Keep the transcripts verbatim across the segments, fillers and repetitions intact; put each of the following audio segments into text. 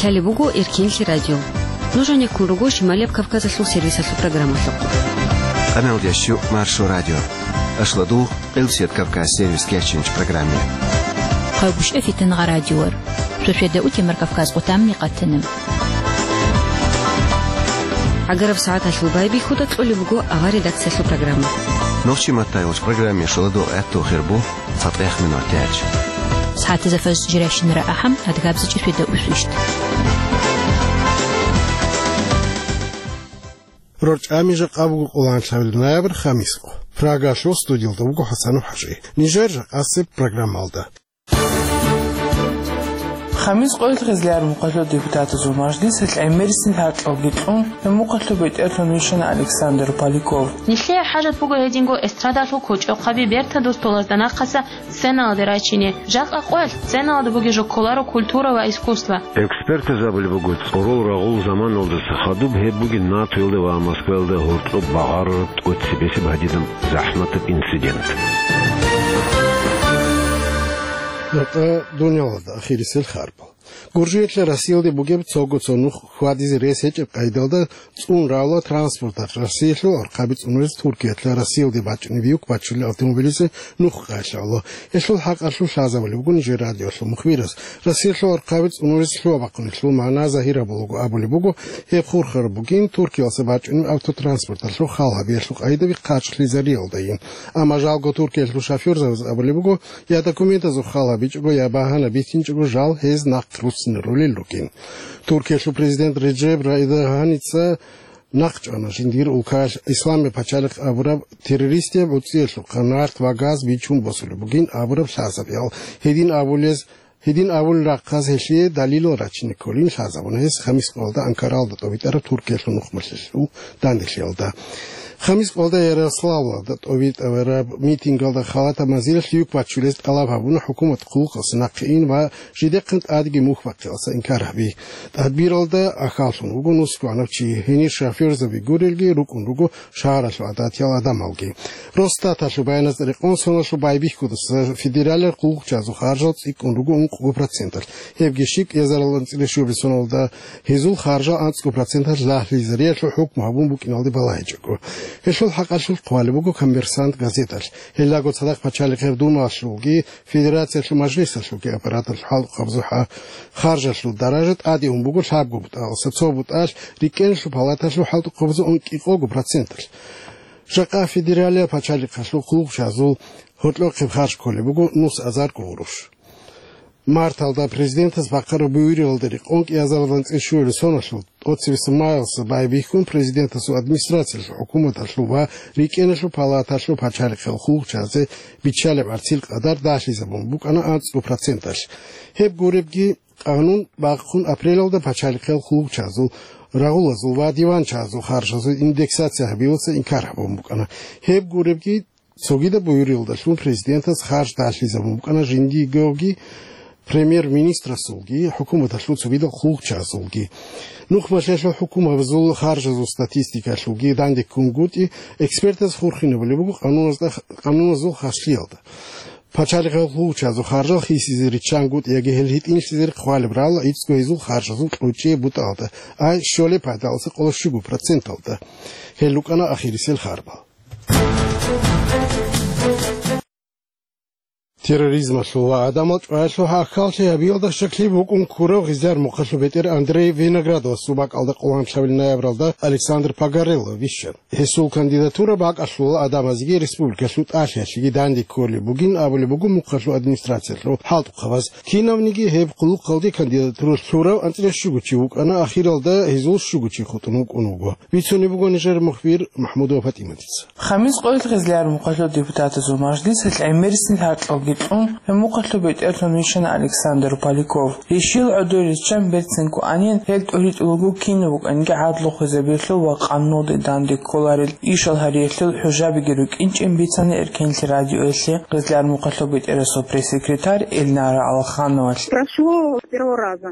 Лъалеб буго Эркенлъи радио. Нуж гьанеккун руго Шималияб Кавказалъул сервисалъул программалъухъ. Къамелдящу Маршо радио. Ашладугъ, Къилсият Кавказ сервис кечинч программе. Хъайгъушев Фитангъа радиор. Шошеда утемар Кавказ къутамни къатана. Агараб сагӀаталъул байбихьуда кьолеб буго авар редакциялъул программа. Нохчи маттайгъуч программе шоладугъ гӀатту хирбу. Цадгъех минутач. СагӀатазда фаз жирайщинара ахӀам, адгабзичӀеб фида усвищ. РорчӀами жакъа буго къоланлъабил ноябрь, хамис къо. Прагалъул студиялда буго ХӀасанов ХӀажи. Нижер жакъасеб программалда. Хамис къоялъ Гъизлияр мухъалъул депутатазул мажлисалъ гӀемерисел гьаркьалги кьун, гьеб мухъалъул бетӀерлъун вищана Александр Поляков. Нилъее хӀажат буго гьединго эстрадалъул кочӀохъаби бертадул столазда нахъаса сценалде рачине. Жакъа къоялъ сценалда бугеб жо кколаро культура ва искусство. Экспертаз абулеб буго, цӀорол рагъул заманалдаса хадуб гьеб бугин НАТОялда ва Москваялда гьоркьоб багъарараб тӀоцебесеб гьадинаб захӀматаб инцидент. НутӀа дунялалда ахирисел харбал. Гуржиялъа Россиялде бугеб цого цо нух хьвадизе рес гьечӀеб къайдалда цӀун равла транспорталъ Россиялъул архъаби цӀунурез Туркиялъа Россиялде бачӀунеб юк бачулел автомобилизе нух къайгъ лъавла. Гьелъул хӀакъалъулъ лъазабулеб буго нижер радиолъул мухбирас. Россиялъул архъаби цӀунурез лъугьа бахъунелъул магӀна загьир гьабулаго абулеб буго, гьеб хурхараб бугин Туркиялъа бачӀунеб автотранспорталъул хал гьабиялъул къайдаби хъарчӀлъизариялдайин. Амма жалго Туркиялъул шофёрзабаз абулеб буго, я документазул хал гьабичӀого, я багьана битинчӀого жал гьез нахъ руссинарулел ругин. Туркиялъул президент Реджеп Эрдоганица нахъ чӀвана жиндир улкаялъ Исламияб пачалихъ абураб террористияб гӀуцӀиялъухъа нарт ва газ бичун босулеб бугин абураб лъазабиял. Гьедин абулез, гьедин абулел рахъаз гьелъие далилал рачине кколин лъазабуна гьес хамис къоялда Анкаралда тӀобитӀараб Туркиялъул нухмалъулъул данделъиялда. Хамис къоялда Ярославлалда тӀобитӀараб митингалда халатаб манзилалъ юк бачулез тӀалаб гьабуна хӀукумат хъулухъалъе нахъе ин ва жидехъан тӀадеги мухь бахъиялъа инкар гьаби. Тадбиралда ахьаллъун вуго нусгоанав чи, гьенир шофёрзаби гурелги рукӀун руго шагьаралъул гӀадатиял гӀадамалги. Росстаталъул баяназда рекъон соналъул байбихьудаса федералияб хъулухъчазул харжал цӀикӀкӀун руго ункъго проценталъ. Гьебги щиб кӀиазарал анцӀила щуабилеб соналда гьезул харжал анцӀго проценталъ лагълъизариялъул хӀукму гьабун букӀиналде балагьичӀого. Гьелъул хӀакъалъулъ хъвалеб буго «Коммерсант» газеталъ. Гьелдаго цадахъ пачалихъеб Думалъулги Федерациялъул Мажлисалъулги аппараталъул хӀалтӀухъабазул ха-, харжалъул даража тӀаде ун буго лъабго бутӀалъ, цо бутӀалъ рикӀкӀиналъул палаталъул хӀалтӀухъабазул анкьикъого проценталъ. Жакъа федералияб пачалихъалъул хъулухъчазул гьоркьохъеб харж кколеб буго нус азарго гъурущ. Марталда президентас бахъараб буюрилалда рекъон кӀиазарилан цӀе щуялъул соналъул тӀоцебесеб майилъа байбихьун президентасул администрациялъул, хӀукуматалъул ва рикӀкӀиналъул палаталъул пачалихъал хъулухъчазе биччалеб гӀарцил къадар дагьлъизабун букӀана анцӀго проценталъ. Гьеб гуребги, къанун бахъун апрелалда пачалихъал хъулухъчазул, рагъулазул ва диванчазул харжазул индексация гьабиялъа инкар гьабун букӀана. Гьеб гуребги, цогидаб буюрилалдалъун президентас харж дагьлъизабун букӀана жиндиеги премьер-министрасулги, хӀукуматалъул цогидал хъулухъчазулги. Нухмалъиялъул хӀукумабазул харжазул статистикалъулги дандеккунгутӀи, экспертаз хурхинабулеб буго къануназда, къануназул хаслъиялда. Пачалихъал хъулухъчазул харжал хисизе риччангутӀи яги гьел гьитӀинлъизе хъвалеб рала иццго гьезул харжазул кьучӀияб бутӀалда, ай щолеб пайдалъа къоло щуго проценталда. Гьел рукӀана ахирисел харбал. Терроризмалъул ва гӀадамал чӀваялъул гьахьаллъи гьабиялда щаклъи букӀун ккурав Гъизлияр мухъалъул бетӀер Андрей Виноградовасул бакӀалда къоланлъабил ноябралда Александр Погорелов вищана. Гьесул кандидатура бакӀалъула гӀадамазеги республикалъул тӀалъиялъеги данде кколеб бугин абулеб буго мухъалъул администрациялъул хӀалтӀухъабаз. Кинавниги гьеб хъулухъалде кандидатура лъурав анцӀила щуго чи вукӀана, ахиралда гьезул щуго чи хутӀун вукӀун вуго. Бицунеб буго нижер мухбир МахӀмудова ПатӀиматица. Хамис къоялъ Гъизлияр мухъалъул депутатазул мажлисалъ гӀемерисел гьаркьалги кьун, гьеб мухъалъул бетӀерлъун вищана Александр Поляков. Рещил гӀодор риччан берцинго анин, гьел тӀуритӀулаго кинаб букӀанги гӀадлу хвезабиялъул ва къануналде данде кколарел ишал гьариялъул хӀужабиги рукӀинчӀин бицана Эркенлъи радиоялъе Гъизлияр мухъалъул бетӀерасул пресс-секретарь Эльнара Алхановалъ. Прошло с первого раза.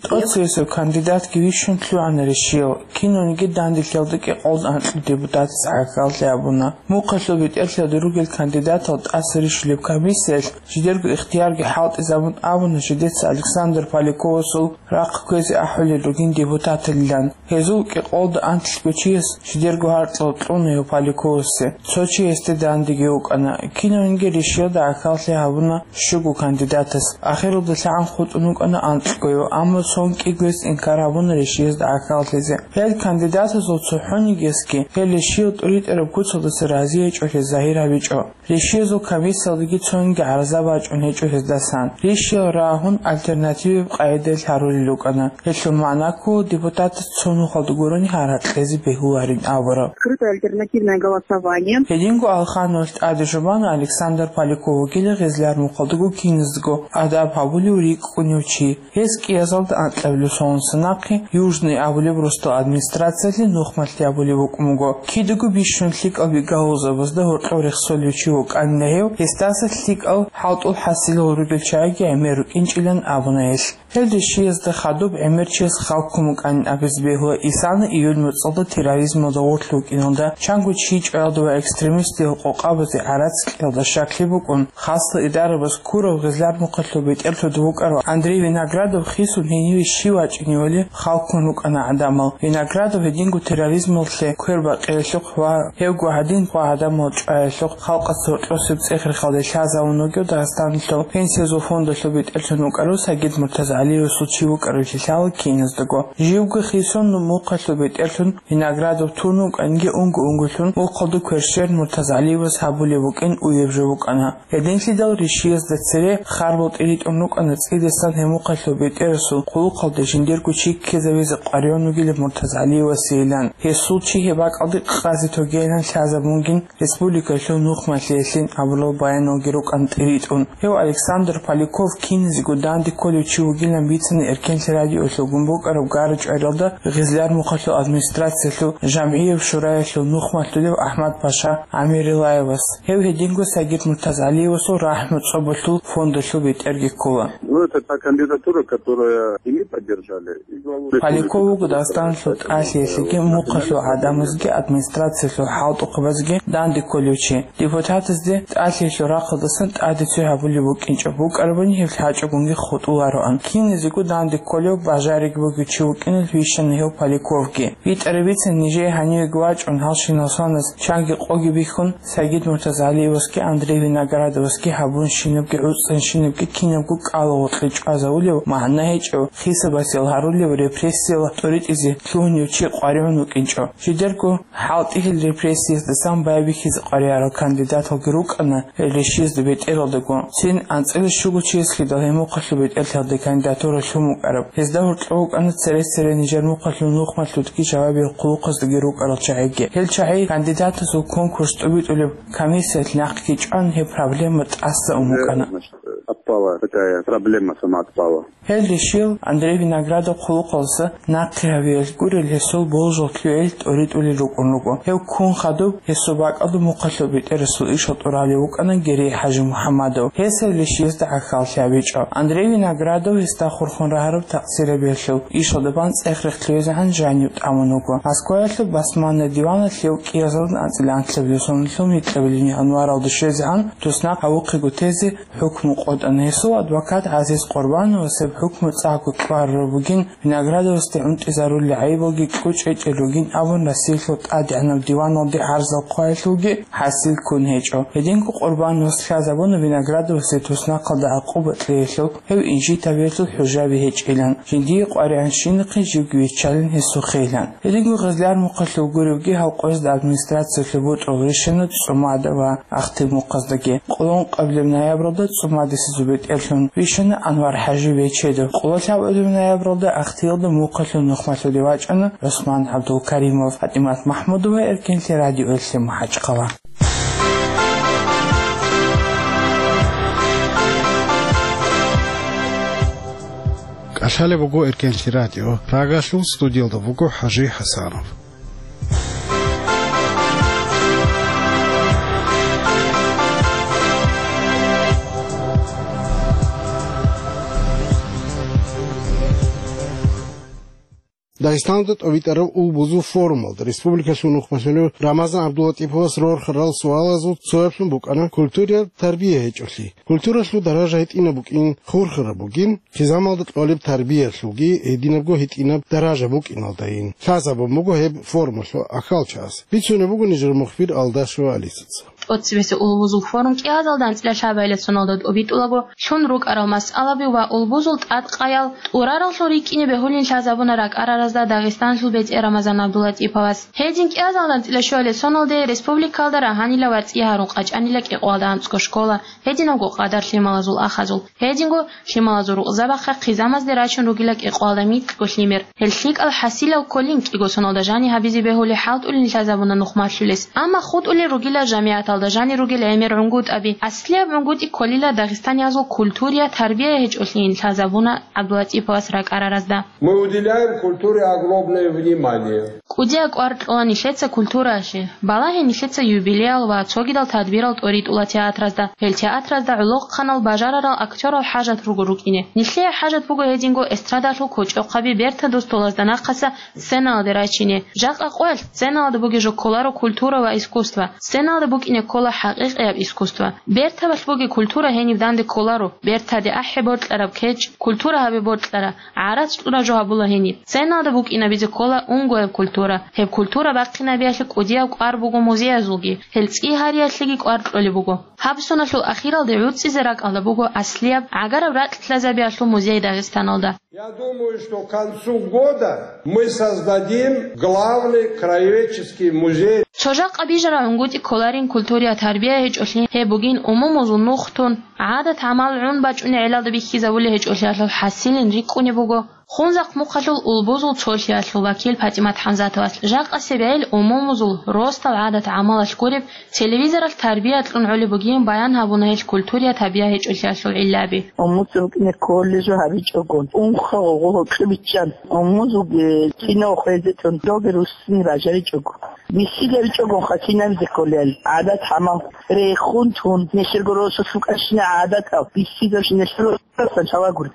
ТӀоцебесеб кандидатги вищун лъугӀана рещил. Кинавниги данделъиялда кӀикъоялда анкьго депутатас гӀахьаллъи гьабуна. Мухъалъул бетӀерлъиялда ругел кандидатал тӀаса рищулеб бицаралъ жидерго ихтиярги хӀалтӀизабун абуна жидеца Александр Поляковасул рахъ кквезе ахӀулел ругин депутаталилан. Гьезул кӀикъоялда анлъго чияс жидерго гьаркьал кьуна гьев Поляковасе. Цо чи гьесде дандеги вукӀана. Кинавниги решиялда гӀахьаллъи гьабуна щуго кандидатас. Ахиралда лъагӀан хутӀун вукӀана анкьгояв, амма цоги кӀиго гьес инкар гьабуна решиязда гӀахьаллъизе. Гьел кандидатазул цохӀонигиясги гьел решиял тӀуритӀараб куцалдаса разиячӀолъи загьир гьабичӀо. Решиязул комиссиялдаги цониги гӀараза бачӀун гьечӀо гьездасан. Решиял рагьун альтернативаб къагӀидаялъ гьарулел рукӀана. Гьелъул магӀна ккола депутатас цо нухалда гурони гьаракь кьезе бегьуларин абураб. Открытое альтернативное голосование. Гьединго Алхановалъ тӀаде жубана Александр Поляков вугила гъезлар мухъалдаго киназдаго адаб гьабулев рикӀкӀунев чи. Гьес кӀиазалда анкьабилеб соналъ нахъе Южный абулеб росдал администрациялъе нухмалъи гьабулеб букӀун буго. Кидаго бищун лъикӀал бигалузабазда гьоркьов рехсолев чи вукӀанила гьев, гьесдаса лъикӀал хӀалтӀул хӀасилал ругел чагӀиги гӀемер рукӀинчӀилан абуна гьелъ. Гьел решиязда хадуб гӀемер чияс хал ккун букӀанин абизе бегьула исана июль моцӀалда терроризмалда гъорлъ вукӀиналда, чанго чи чӀваялда ва экстремистиял къокъабазе гӀарац кьелда щаклъи букӀун. Хасла идарабаз ккурав гъезлар мухъалъул бетӀерлъуда вукӀарав Андрей Виноградов хисун гьениве щив вачӀиневали хал ккун рукӀана гӀадамал. Виноградов гьединго терроризмалъе квербакъиялъухъ ва гьевго гьадин хва гӀадамал чӀваялъухъ халкъалъ гьоркьосеб цӀех-рехалде лъазавун вугев Дагъистаналъул пенсиязул фондалъул бетӀерлъун вукӀарав Сагид МуртазагӀалиевасул чи вукӀарав лъалъала киназдаго. Живго хисун мухъалъул бетӀерлъун Виноградов тун вукӀанги унго-унголъун мухъалда кверщел МуртазагӀалиевас гьабулеб букӀин уеб жо букӀана. Гьединлъидал решиязда цере харбал тӀиритӀун рукӀана цӀидасан гьеб мухъалъул бетӀерасул хъулухъалда жиндирго чи ккезавизе къваригӀун вугилан МуртазагӀалиевасейилан. Гьесул чи гьеб бакӀалде къазе тогейилан лъазабунгин республикалъул нухмалъиялъин абурал баяналги рукӀана тӀиритӀун. Гьев Александр Поляков киназего данде кколев чи вугилан бицана Эркенлъи радиоялъулгун букӀараб гара-чӀвариялда гъезлар мухъалъул администрациялъул жамгӀияб шураялъул нухмалъулев АхӀмад-паша ГӀамирилаевас. Гьев гьединго Сагид МуртазагӀалиевасул рахӀму цӀобалъул фондалъул бетӀерги ккола. Ну, это та кандидатура, которая и мы поддержали, и главу Поляков вуго Дагъистаналъул тӀалъиялъеги, мухъалъул гӀадамазги, администрациялъул хӀалтӀухъабазги данде кколев чи. Депутатазде тӀалъиялъул рахъалдасан тӀаде цо гьабулеб букӀинчӀеб букӀарабани гьеб лъачӀогонги хутӀулароан. Киназего данде кколев бажариги бугев чи вукӀиналъ вищана гьев Поляковги. БитӀараб бицана нижее гьанивеги вачӀун гьалщинал соназ чанги къоги бихьун, Сагид МуртазагӀалиевасги Андрей Виноградовасги гьабун щинабги гӀуцӀцӀан щинабги кинабго кӀалагъоркье чӀвазавулев, магӀна гьечӀев, хисабасел гьарулев, репрессияла тӀоритӀизе лъугьунев чи къваригӀун вукӀинчӀо. Жидерго хӀалтӀи гьел репрессиясдасан байбихьизе къваригӀарал кандидаталги рукӀана гьел решиязда бетӀералдаго. Цин анцӀила щуго чиясхидал гьеб мухъалъул бетӀерлъиялда кандидатура лъун букӀараб. Гьезда гьоркьов вукӀана цере-цере нижер мухъалъул нухмалъулдаги жавабиял хъулухъаздеги рукӀарал чагӀиги. Гьел чагӀи кандидатазул конкурс тӀубитӀулеб комиссиялъ нахъги чӀван, гьеб проблема тӀаса ун букӀана. Значит, отпала такая проблема, сама отпала. Гьел решил Андрей Виноградов хъулухъалдаса нахъе гьавиялъ гурел гьесул болжал лъугӀел тӀоритӀулел рукӀун руго. Гьев ккун хадуб гьесул бакӀалда мухъалъул бетӀерасул ишал тӀуралев вукӀана Герей ХӀажимухӀаммадов. Гьес гьев решиязда гӀахьаллъи гьабичӀо. Андрей Виноградов гьесда хурхун рагьараб такъсирабиялъул ишалда бан цӀех-рех лъугьизегӀан жанив тӀамун вуго. Москваялъул басманна диваналъ гьев кӀиазалда анцӀила анлъабилеб соналъул микьабилеб январалда щвезегӀан туснахъ гьавухъего тезе хӀукму къотӀана. Гьесул адвокат ГӀазиз Къурбановас гьеб хӀукму цӀакъго кьварараб бугин, Виноградовасде гӀунтӀизарулел гӀайибалги кьучӀ гьечӀел ругин абун, Россиялъул тӀадегӀанаб диваналде гӀарзал хъваялъулги хӀасил ккун гьечӀо. Гьединго Къурбановас лъазабуна Виноградовасе туснахъалда гӀакъуба кьеялъул, гьев инжит гьабиялъул хӀужаби гьечӀилан, жиндие къваригӀанщинахъе живги виччалин гьесухъейилан. Гьединго гъезлар мухъалъул гуревги гьав къоязда администрациялъул бутӀрул рищана ЦӀумада ва Ахтил мухъаздаги. Къоло ункъабилеб ноябралда ЦӀумадисе зубетӀерлъун вищана Анвар-ХӀажи Бечедов. Къоло лъабабилеб ноябралда Ахтиялда мухъалъул нухмалъулев вачӀана ГӀусман ГӀабдулкаримов. ПатӀимат МахӀмудова, Эркенлъи радиоялъе, МахӀачхъала. КӀалъалеб буго Эркенлъи радио. Прагалъул студиялда вуго ХӀажи ХӀасанов. Дагъистаналда тӀобитӀараб улбузул форумалда республикалъул нухмалъулев Рамазан ГӀабдуллатӀиповас рорхарал суалазул цояблъун букӀана культураялъ тарбия гьечӀолъи. Культуралъул даража гьитӀинаб букӀин хурхараб бугин, хъизамалда кьолеб тарбиялъулги гьединабго гьитӀинаб даража букӀиналдайин лъазабун буго гьеб форумалъул ахьалчагӀаз. Бицунеб буго нижер мухбир Алдашева Алисаца. ТӀоцебесеб улбузул форум кӀиазалда анцӀила лъабайилан соналда тӀобитӀулаго, лъун рукӀарал масъалаби ва улбузул тӀадкъаял тӀураралъул рикӀкӀине бегьулин лъазабуна ракӀараразда Дагъистаналъул бетӀер Рамазан ГӀабдуллатӀиповас. Гьедин кӀиазалда анцӀила щуалилан соналде республикалда рагьанила ва цӀи гьарун къачӀанила кӀикъоялда анцӀго школа, гьединабго къадар лъималазул ахазул. Гьединго лъималазул рукъзабахъа хъизамазде рачун ругила кӀикъоялда микьго лъимер. Гьел лъикӀал хӀасилал кколин кӀиго соналда жани гьабизе бегьули хӀалтӀулин лъазабуна нухмалъулес. Амма хутӀулел ругила жамигӀаталда жани ругел гӀемер гӀунгутӀаби. Аслияб гӀунгутӀи кколила дагъистаниязул культурия тарбия гьечӀолъиин лъазабуна ГӀабдулатӀиповас ракӀараразда. Мы уделяем культуре огромное внимание. КӀудияб кӀвар кьола нилъеца культураялъе. Балагье нилъеца юбилеял ва цогидал тадбирал тӀоритӀула театразда. Гьел театразда гӀолохъанал бажарарал актёрал хӀажат руго рукӀине. Нилъее хӀажат буго гьединго эстрадалъул кочӀохъаби бертадул столазда нахъаса сценалде рачине. Жакъа къоялъ сценалда бугеб жо кколаро культура ва искусство. Сценалда букӀине ккола хӀакъикъияб искусство. Бертабалъ бугеб культура гьениб данде кколаро. Бертаде ахӀи боркьараб кечӀ, культура гьабе боркьара. ГӀарац кьураб жо гьабула гьениб. Сценалда букӀинабизе ккола унгояб культура. Гьеб культура бахъинабиялъе кӀудияб кӀвар буго музеязулги, гьел цӀи гьариялъеги кӀвар кьолеб буго. Гьаб соналъул ахиралде гӀуцӀизе ракӀалда буго аслияб гӀагараб ракьлъазабиялъул музей Дагъистаналда. Я думаю, что к концу года мы создадим главный краеведческий музей. Цо жакъа бижараб гӀунгутӀи кколарин культурия тарбия гьечӀолъи, гьеб бугин умумузул нух тун, гӀадат-гӀамал гӀун бачӀунеб гӀелалда бихьизабулеб гьечӀолъиялъул хӀасилин рикӀкӀунеб буго. Хунзахъ мухъалъул улбузул цолъиялъул вакил ПатӀимат ХӀамзатовас жакъасеб гӀел умумузул росдал гӀадат-гӀамалалъ гуреб телевизоралъ тарбия кьун гӀолеб бугин баян гьабуна гьел культурия тарбия гьечӀолъиялъул гӀиллаби. Умуца букӀине кколеб жо гьабичӀогон, унха гъогъо гьоркьоб биччан, умузулги кино хвезетун, доги руссине бажаричӀого. БихьизабичӀогонха кинабизе кколел гӀадат-гӀамал рехун тун, нилъерго росулъ букӀарщинал гӀадатал бихьизабичӀо нилъер росулъ.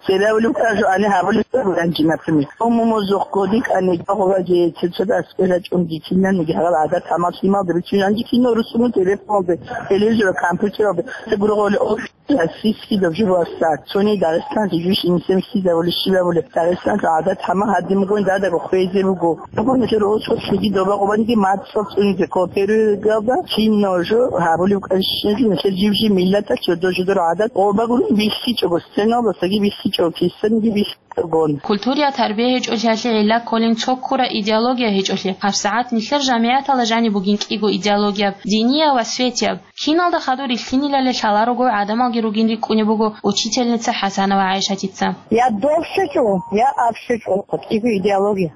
Цебе абулеб букӀараб жо гьаниб гьабулеб буго ранжи, например. Умумузухъ кодикӀани гьагъабаги цебе цо дас кӀвелачӀунги кинабниги гьагъал гӀадат-гӀамал лъималда бицун ранжи кино русумун телефоналде, телевизоралда, компьютералда, гургъули офис, российский доб жо васса, цони Дагъистаналъе жугьиш инсен хьизабулеб, щибабулеб. Дагъистаналъул гӀадат-гӀамал гьадин бугони, дадаго хвезе буго. Абу нилъер росулъги доба къубаниги мацӀал цӀунизе кооперируялда кино жо гьабулеб букӀарищинги нилъер жив-жив миллаталъ жодор-жодор гӀадат къо багурун бихьичӀого, сценалдасаги бихьичӀого, кисаниги бихьичӀогон. Культурия тарбия гьечӀолъиялъе гӀилла кколин цо ккура идеология гьечӀолъи. ГьабсагӀат нилъер жамигӀаталда жаниб бугин кӀиго идеологияб, динияб ва светияб. Киналда хадур рилълъинилали лъаларого гӀадамалги ругин рикӀкӀунеб буго учительница ХӀасанова ГӀайшатица. Я дов щвечӀо, я аб щвечӀо, кӀиго идеология.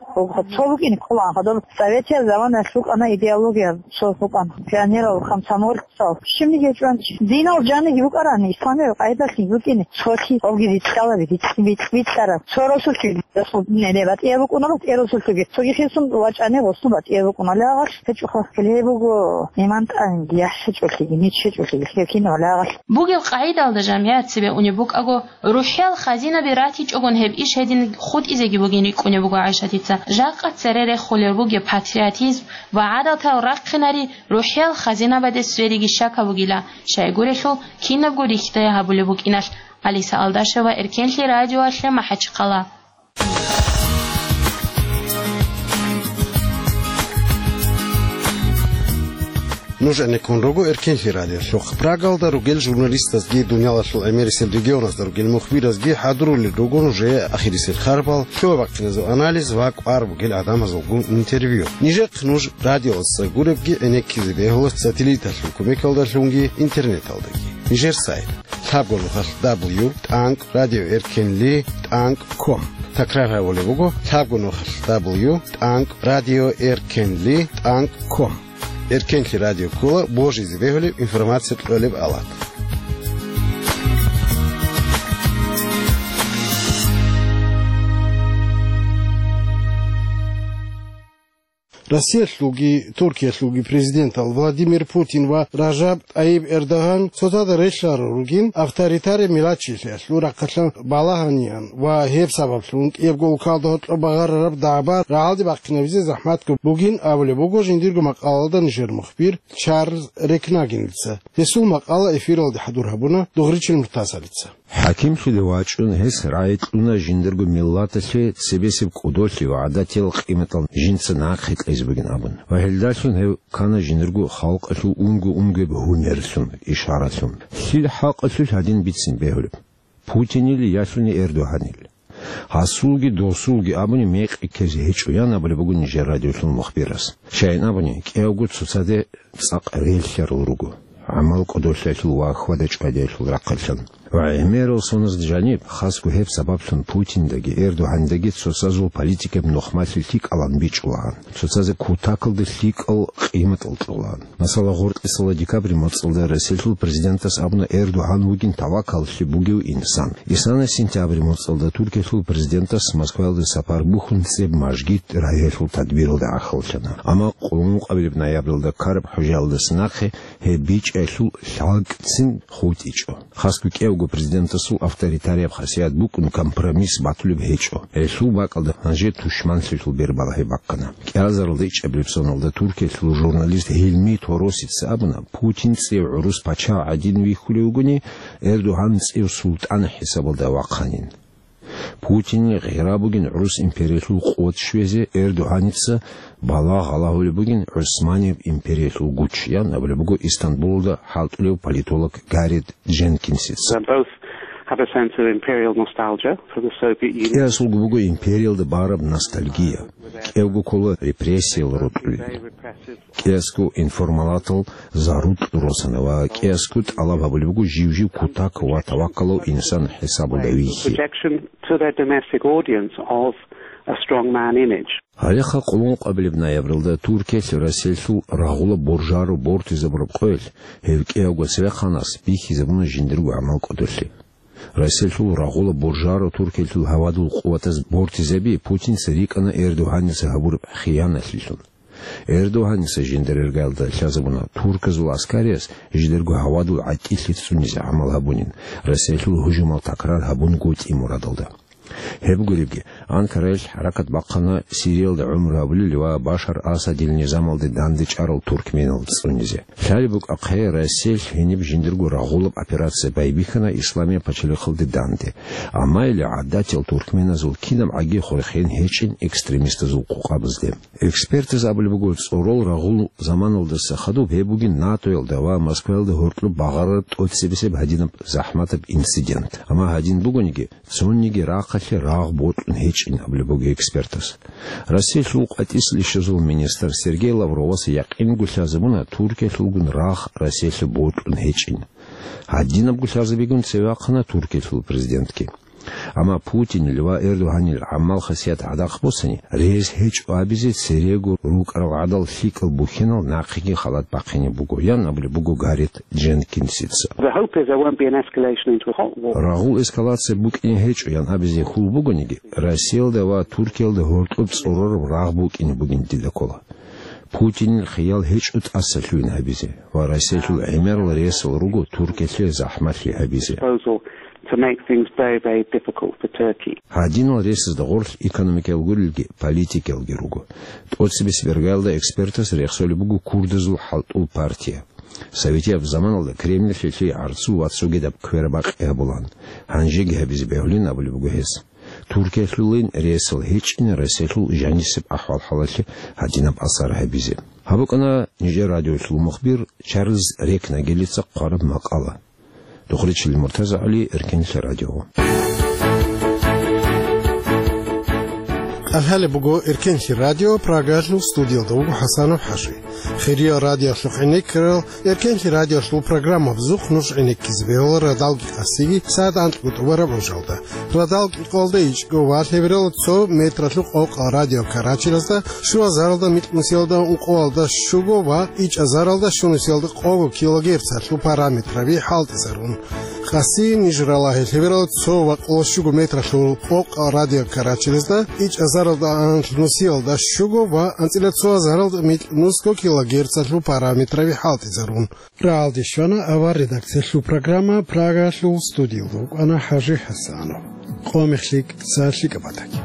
Цо букӀине ккола, гьадаб советиял заманаялъ букӀана идеология, цо букӀана. Пионерал, комсомольцал, щибниги гьечӀо гьанже. Динал жаниги букӀарани, исламияб къайдалъи букӀине, цолъи, гьобги бикьалаби, бикь-, бикь-, бикьараб. Цо росулъги, росул, не, не, батӀияб букӀуна, батӀияб росулъги. Цоги хисун вачӀани, гъосун батӀияб букӀуна. Лагъалъ гьечӀоха, гьеле буго иман тӀамиги, яхӀ гьечӀолъиги, нич гьечӀолъиги, гьеб кинаб лагъалъ. Бугеб къайдалда жамигӀат цебе унеб букӀаго, рухӀиял хазинаби ратичӀогон гьеб иш гьедин хутӀизеги бугин рикӀкӀунеб буго ГӀайшатица. Жакъа цере рехулел бугеб патриотизм ва гӀадатал рахъинари рухӀиял хазинабаде свериги щакаб бугила, щайгурелъул кинабго рихьдая гьабулеб букӀиналъ. Алиса Алдашева, Эркенлъи радиоялъе, МахӀачхъала. Нуж гӀенеккун руго Эркенлъи радиолъухъ. Прагалда ругел журналистазги дуниялалъул гӀемерисел регионазда ругел мухбиразги хӀадурулел руго нужее ахирисел харбал, лъугьа-бахъиназул анализ ва кӀвар бугел гӀадамазулгун интервью. Нижехъ нуж радиоялдаса гуребги гӀенеккизе бегьула сателлиталъул кумекалдалъунги интернеталдаги. Нижер сайт: лъабго нухалъ дабл ю тӀанкӀ радио эркенли тӀанкӀ ком. Такрар гьабулеб буго: лъабго нухалъ дабл ю тӀанкӀ радио эркенли тӀанкӀ ком. Эркенлъи радио ккола божизе бегьулеб информация кьолеб алат. Россиялъулги Туркиялъулги президентал Владимир Путин ва Ражаб Тайиб Эрдоган цоцазда релълъарал ругин авторитария миллатчилъиялъул рахъалъан балагьаниян ва гьеб сабаблъун кӀиябго улкалда гьоркьоб багъарараб дагӀба рагӀалде бахъинабизе захӀматго бугин абулеб буго жиндирго макъалалда нижер мухбир Чарльз Рекнагенилца. Гьесул макъала эфиралде хӀадур гьабуна Дугъричил Муртазалица. ХӀакимлъиде вачӀун, гьес рагӀи кьуна жиндирго миллаталъе цебесеб кӀодолъи ва гӀадатиял къиматал жинца нахъе кьезе бугин абун. Ва гьелдалъун гьев ккана жиндирго халкъалъул унго-унгояб гьумерлъун, ишаралъун. Лъил хӀакъалъулъ гьадин бицин бегьулеб? Путинил ялъуни Эрдогьанил? Гьасулги досулги абуни мекъи ккезе гьечӀо, ян абулеб буго нижер радиолъул мухбирас. Щайин абуни, кӀиявго цоцаде цӀакъ релълъарал руго, гӀамал кӀодолъиялъул ва хьвада-чӀвадиялъул рахъалъан. Ва гӀемерал соназ жаниб, хасго гьеб сабаблъун Путиндаги Эрдогьандаги цоцазул политикаб нухмалъи лъикӀалан бичӀчӀулагьан, цоцазе кутакалда лъикӀал къиматал кьолагьан. Масала, гъоркьисала декабрь моцӀалда Россиялъул президентас абуна Эрдогьан вугин тавакаллъи бугев инсан. Исана сентябрь моцӀалда Туркиялъул президентас Москваялде сапар бухьун цӀеб мажгит рагьиялъул тадбиралда гӀахьаллъана. Амма къулмукъабилеб ноябралда ккараб хӀужаялдаса нахъе гьеб бичӀчӀиялъул лъалкӀцин хутӀичӀо. Хасго кӀиявго президентасул авторитарияб хасият букӀун компромисс батулеб гьечӀо. Гьелъул бакӀалда гьанже тушманлъиялъул бер балагьи бахъана. КӀиазаралда ичӀабилеб соналда Туркиялъул журналист Гьилми Торосица абуна, Путин цӀив гӀурус пачагь гӀадин вихьулев вугони, Эрдогьан цӀив султӀан хӀисабалда вахъанин. Путинил гъира бугин гӀурус империялъул къуват щвезе, Эрдогьаница балагь гьалагьулеб бугин ГӀусманияб империялъул гуч, ян абулеб буго Истанбулалда хӀалтӀулев политолог Гаррет Дженкинсица. They both have a sense of imperial nostalgia for the Soviet Union. КӀиасулго буго империялда бараб ностальгия. КӀиявго ккола репрессиял рокьулел. КӀиасго информалатал зарукь росана ва кӀиасго тӀалаб гьабулеб буго жив-жив кутак ва тавакалав инсан хӀисабалда вихьи. Rejection to their domestic audience of a strong man image. Гьалеха къулмукъабилеб ноябралда Туркиялъ Россиялъул рагъула боржаро бортизабураб къоялъ гьев кӀиявго цевехъанас бихьизабуна жиндирго гӀамал кӀодолъи. Россиялъул рагъула боржаро Туркиялъул гьавадул къуватаз бортизаби Путинца рикӀкӀана Эрдогьаница гьабураб хиянатлъилъун. Эрдогьаница жиндир иргаялда лъазабуна турказул аскариялъ жидерго гьавадул гӀатӀилъи цӀунизе гӀамал гьабунин, Россиялъул гьужумал такрар гьабунгутӀи мурадалда. Гьеб гуребги, Анкараялъ хӀаракат бахъана Сириялда гӀумру гьабулел ва Башар Асадил низамалде дандечӀарал туркменал цӀунизе. Лъалеб букӀахъе, Россиялъ гьениб жиндирго рагъулаб операция байбихьана Исламияб пачалихъалде данде, амма или гӀадатиял туркменазул кинабгӀаги хурхен гьечӀин экстремистазул къокъабазде. Экспертаз абулеб буго, цӀорол рагъул заманалдаса хадуб гьеб бугин НАТОялда ва Москваялда гьоркьоб багъарараб тӀоцебесеб гьадинаб захӀматаб инцидент. Амма гьадин бугониги, цониги рахъалъе рагъ бокьун гьечӀин абулеб буго экспертаз. Россиялъул къватӀислъи щвезул министр Сергей Лавровас якъинго лъазабуна Туркиялъулгун рагъ Россиялъе бокьун гьечӀин. Гьадинабго лъазабигун цеве вахъана Туркиялъул президентги. Амма Путинил ва Эрдогьанил гӀамал-хасият гӀадахъ босани, рес гьечӀо абизе церего рукӀарал гӀадал лъикӀал бухьинал нахъеги халат бахъине буго, ян абулеб буго Гаррет Дженкинсица. The hope is there won't be an escalation into a hot war. Рагъул эскалация букӀине гьечӀо, ян абизе хьул бугониги, Россиялда ва Туркиялда гьоркьоб цӀорораб рагъ букӀине бугин дида ккола. Путинил хиял гьечӀо тӀаса лъугьин гьабизе, ва Россиялъул гӀемерал ресал руго Туркиялъе захӀмалъи гьабизе. Proposal to make things very, very difficult for Turkey. Гьадинал ресазда гъорлъ экономикаял гурелги, политикаялги руго. ТӀоцебесеб иргаялда экспертас рехсолеб буго курдазул хӀалтӀул партия. Советияб заманалда Кремльалъе лъие гӀарцул ва цогидаб квербакъи гьабулаан, гьанжеги гьабизе бегьулин абулеб буго гьес. Туркиялъулин ресал гьечӀин Россиялъул жанисеб ахӀвал-хӀалалъе гьадинаб асар гьабизе. Гьаб букӀана нижер радиолъул мухбир Чарльз Рекнагелица хъвараб макъала. Духричил Муртазагьали, Эркенлъи радио. КӀалъалеб буго Эркенлъи радио, Прагалъул студиялда вуго ХӀасанов ХӀажи. Хириял радиоялъухъ гӀенеккарал Эркенлъи радиоялъул программабазухъ нуж гӀенеккизе бегьула радалги къасиги сагӀат анкьго тӀубараб гӀужалда. Радал кӀикъоялда ичӀго ва лъебералда цо метралъухъ къокъал радиокаражилазда, щуазаралда микьнусиялда ункъоялда щуго ва ичӀазаралда щунусиялда къого килогерцалъул параметраби хӀалтӀизарун. Къаси ниж ралагье лъеберал цо ва къоло щуго метралъул къокъ радиокарачелезда, ичӀазаралда анлъ нусиялда щуго ва анцӀила цо азаралда микь нусго килогерцалъул параметраби хӀалтӀизарун. Рагьалде щвана авар редакциялъул программа, Прагалъул студиялда вукӀана ХӀажи ХӀасанов. Къо мехлъи, цалъи кӀабатаги.